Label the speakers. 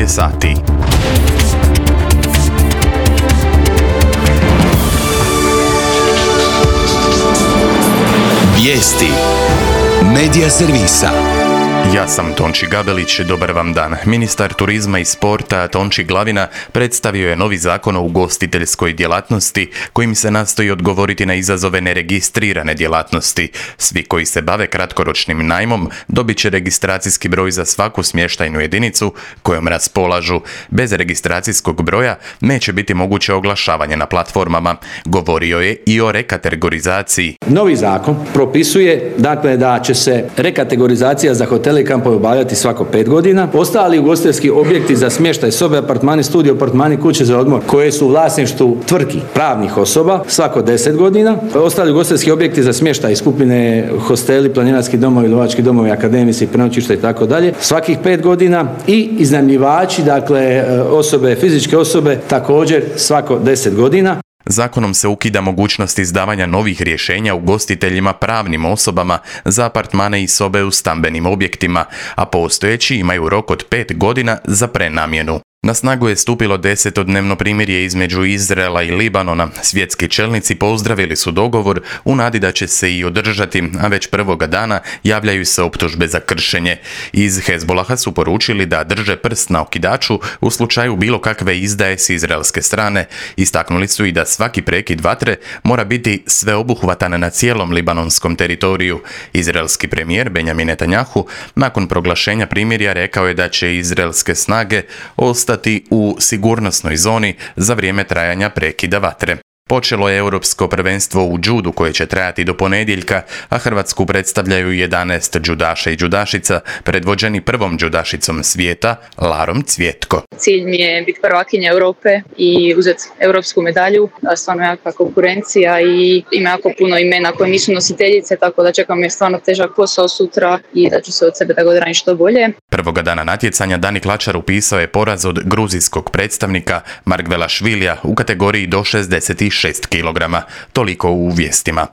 Speaker 1: je sati.
Speaker 2: Vijesti Medija servisa.
Speaker 1: Ja sam Tonči Gabelić, dobar vam dan. Ministar turizma i sporta Tonči Glavina predstavio je novi zakon o ugostiteljskoj djelatnosti kojim se nastoji odgovoriti na izazove neregistrirane djelatnosti. Svi koji se bave kratkoročnim najmom dobit će registracijski broj za svaku smještajnu jedinicu kojom raspolažu. Bez registracijskog broja neće biti moguće oglašavanje na platformama. Govorio je i o rekategorizaciji.
Speaker 3: Novi zakon propisuje da će se rekategorizacija za hotele i kampove obavljati svako 5 godina. Ostali ugostiteljski objekti za smještaj, sobe, apartmani, studio, apartmani, kuće za odmor koje su u vlasništvu tvrtki pravnih osoba svako 10 godina. Ostali ugostiteljski objekti za smještaj, skupine, hosteli, planinarski domovi, lovački domovi, akademici, prenoćišta i tako dalje svakih 5 godina i iznajmljivači, osobe, fizičke osobe također svako 10 godina.
Speaker 1: Zakonom se ukida mogućnost izdavanja novih rješenja ugostiteljima pravnim osobama za apartmane i sobe u stambenim objektima, a postojeći imaju rok od 5 godina za prenamjenu. Na snagu je stupilo 10-dnevno primirje između Izraela i Libanona. Svjetski čelnici pozdravili su dogovor u nadi da će se i održati, a već prvoga dana javljaju se optužbe za kršenje. Iz Hezbolaha su poručili da drže prst na okidaču u slučaju bilo kakve izdaje s izraelske strane. Istaknuli su i da svaki prekid vatre mora biti sveobuhvatan na cijelom libanonskom teritoriju. Izraelski premijer Benjamin Netanjahu nakon proglašenja primirja rekao je da će izraelske snage ostati u sigurnosnoj zoni za vrijeme trajanja prekida vatre. Počelo je europsko prvenstvo u džudu koje će trajati do ponedjeljka, a Hrvatsku predstavljaju 11 džudaša i džudašica, predvođeni prvom džudašicom svijeta, Larom Cvjetko.
Speaker 4: Cilj mi je biti prvakinja Europe i uzeti europsku medalju. Stvarno jaka konkurencija i ima jako puno imena koje nisu nositeljice, tako da čekam je stvarno težak posao sutra i da ću se od sebe da ga odradim što bolje.
Speaker 1: Prvoga dana natjecanja Dani Klačar upisao je poraz od gruzijskog predstavnika Margvelašvilija u kategoriji do 66 kg. Toliko u vijestima.